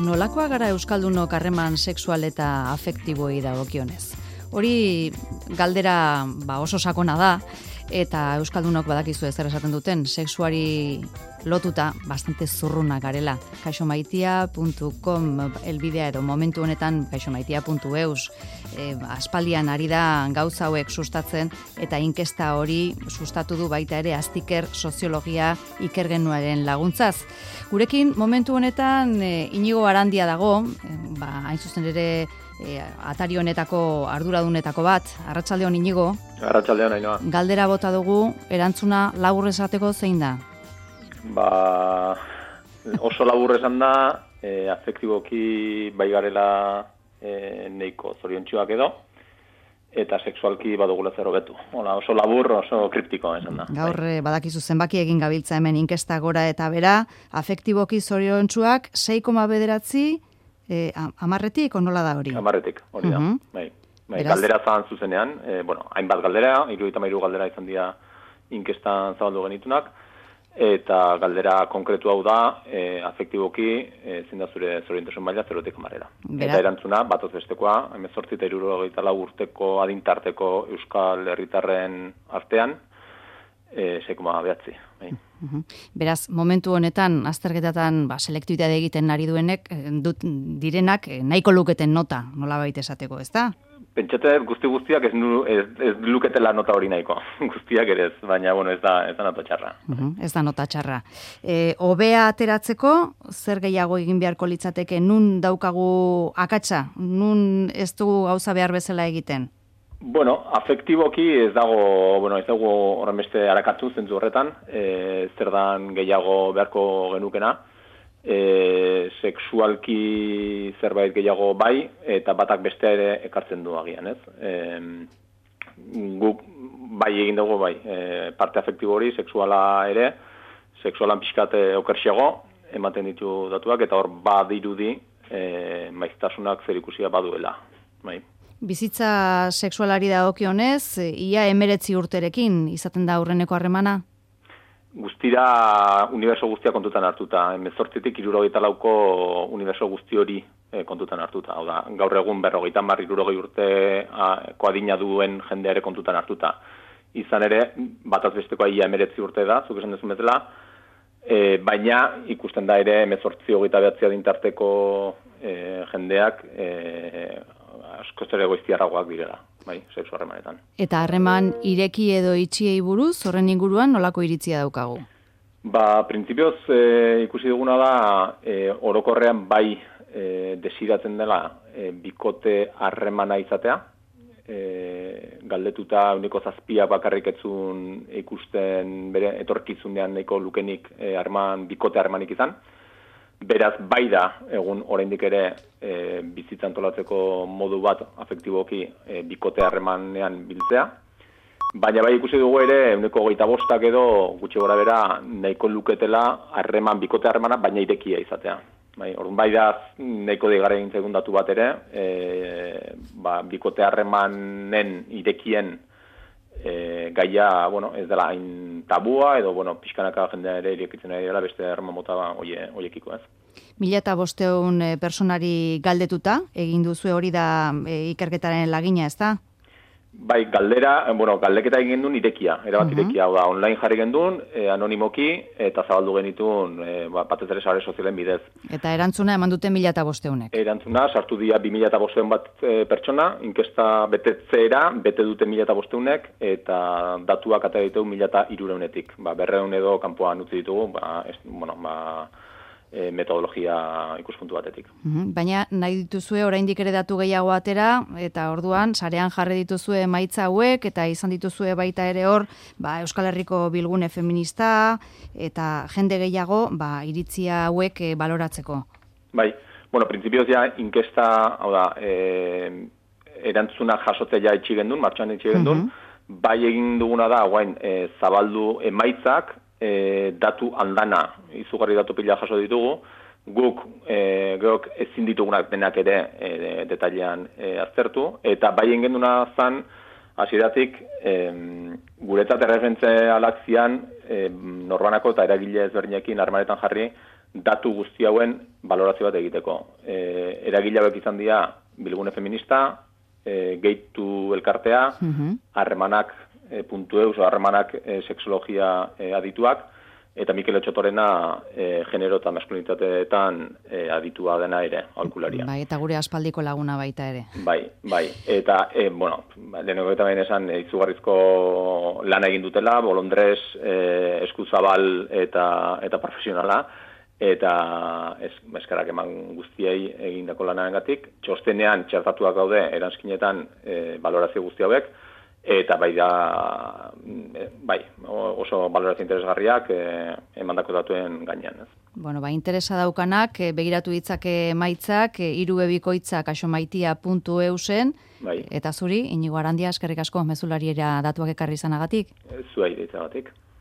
Nolakoa gara euskaldunok harreman sexual eta afektiboi dagokionez? Hori galdera oso sakona da, eta euskaldunok badakizu zer esaten duten, sexuari lotuta bastante zurruna garela. kaixomaitia.com elbidea edo momentu honetan kaixomaitia.eus aspaldian ari da gauza hauek sustatzen eta inkesta hori sustatu du baita ere Aztiker soziologia ikergenuaren laguntzaz. Gurekin momentu honetan Inigo Arandia dago, hain zuzen ere atari honetako arduradunetako bat. Arratsaldeon Inigo. Arratsaldeon Ainhoa. Galdera bota dugu, erantzuna labur esateko zein da? Oso labur esan da, afektiboki bai garela neiko zoriontsuak edo, eta sexualki badugula zer hobetu. Oso labur, oso kriptiko esan da. Gaur badakizu zenbaki egin gabiltza hemen inkesta gora eta bera, afektiboki zoriontsuak 6,9 amarretik, nola da hori? Amarretik, hori da. Bai, galdera zan zuzenean, hainbat galdera, 73 galdera izan dira inkestan zabaldu genitunak, eta galdera konkretu hau da, afektiboki, zein da zure zoriontasun maila 0-tik 10. Eta erantzuna, batoz bestekoa, 18 eta 64 urteko adintarteko euskal herritarren artean, 6,9. Bai. Beraz, momentu honetan, azterketatan selektibitate egiten ari direnak nahiko luketen nota, nolabait esateko, ez da? Pentsate guztiak ez luketela nota hori nahiko, guztiak ere ez, baina ez da nota txarra. Ez da nota txarra. Hobea ateratzeko, zer gehiago egin beharko litzateke, nun daukagu akatsa, nun ez du gauza behar bezala egiten? Afektiboki ez dago horren beste arakatu zentzu horretan, zer dan gehiago beharko genukena, sexualki zerbait gehiago bai, eta batak bestea ere ekartzen du agian, ez? Guk bai egin dugu bai, parte afektibo hori, sexuala ere, sexualan pixkat okerxiago, ematen ditu datuak, eta hor badirudi maiztasunak zerikusia baduela, bai. Bizitza sexualari dagokionez, ia 19 urterekin izaten da aurreneko harremana? Guztira uniberso guztia kontutan hartuta. 18tik 64ko uniberso guzti hori kontutan hartuta. Hau da, gaur egun 50-60 urteko adina duen jendeare kontutan hartuta. Izan ere, bataz bestekoa ia 19 urte da, zuk esan dezun bezala, baina ikusten da ere 18-29 adintarteko jendeak askoz ere goiztiarragoak direla, bai, sexu harremanetan. Eta harreman ireki edo itxiei buruz, horren inguruan nolako iritzia daukagu? Printzipioz ikusi duguna da, orokorrean bai desiratzen dela bikote harremana izatea, galdetuta 7 bakarrik etzun ikusten bere etorkizunean nahiko lukenik bikote harremanik izan. Beraz, bai da, egun oraindik ere bizitza antolatzeko modu bat afektiboki bikote harremanean biltzea. Baina bai ikusi dugu ere, 25 edo gutxi gora bera nahiko luketela bikote harremana, baina irekia izatea. Bai da, nahiko deigarri egin zaigun datu bat ere, bikote harremanen irekien gaia, ez dela hain tabua, edo, pixkanaka jendea ere irekitzen ari dela beste harreman mota hoiekiko, ez. 1500 personari galdetuta, egin duzu hori da ikerketaren lagina, ez da? Bai, galdeketa egin duen irekia, erabat irekia, hau da, online jarri gendun, anonimoki, eta zabaldu genitun, batez ere sare sozialen bidez. Eta erantzuna eman dute 1500. Erantzuna, sartu dira 2500 bat pertsona, inkesta betetzeera, bete dute 1500, eta datuak atera ditugu 1300-etik. 200 edo kanpoan utzi ditugu, metodologia ikuspuntu batetik. Baina nahi dituzue oraindik ere datu gehiago atera, eta orduan sarean jarri dituzue emaitza hauek, eta izan dituzue baita ere hor, Euskal Herriko bilgune feminista, eta jende gehiago iritzia hauek baloratzeko. Bai, printzipioz ja inkesta, hau da, erantzuna jasotzea itxi gendun, martxan itxi gendun, bai egin duguna da, zabaldu emaitzak, datu andana, izugarri datu pila jaso ditugu, guk ezin ditugunak denak ere detailean aztertu, eta bai egin genduna zan, hasieratik guretzat erreferentzialak zian norbanako eta eragile ezberdinekin harremanetan jarri datu guzti hauen balorazio bat egiteko. Eragile hauek izan dira Bilgune Feminista, Geitu elkartea, harremanak.eus, harremanak sexologia adituak, eta Mikel Otxotorena genero eta maskulinitateetan aditua dena ere, aholkularia. Bai, eta gure aspaldiko laguna baita ere. Bai. Eta, lehenengo eta behin esan, izugarrizko lana egin dutela, bolondrez, eskuzabal eta profesionala, eta eskarak eman guztiei egindako lanagatik. Txostenean txertatuak gaude eranskinetan balorazio guzti hauek, eta bai oso balorazio interesgarriak emandako datuen gainean. Bueno, interesa daukanak, begiratu ditzake emaitzak, irubebikoitza kaxomaitia.eusen, eta zuri, Inigo Arandia, eskerrik asko, mezulariera datuak ekarri izanagatik. Zuei ditzagatik.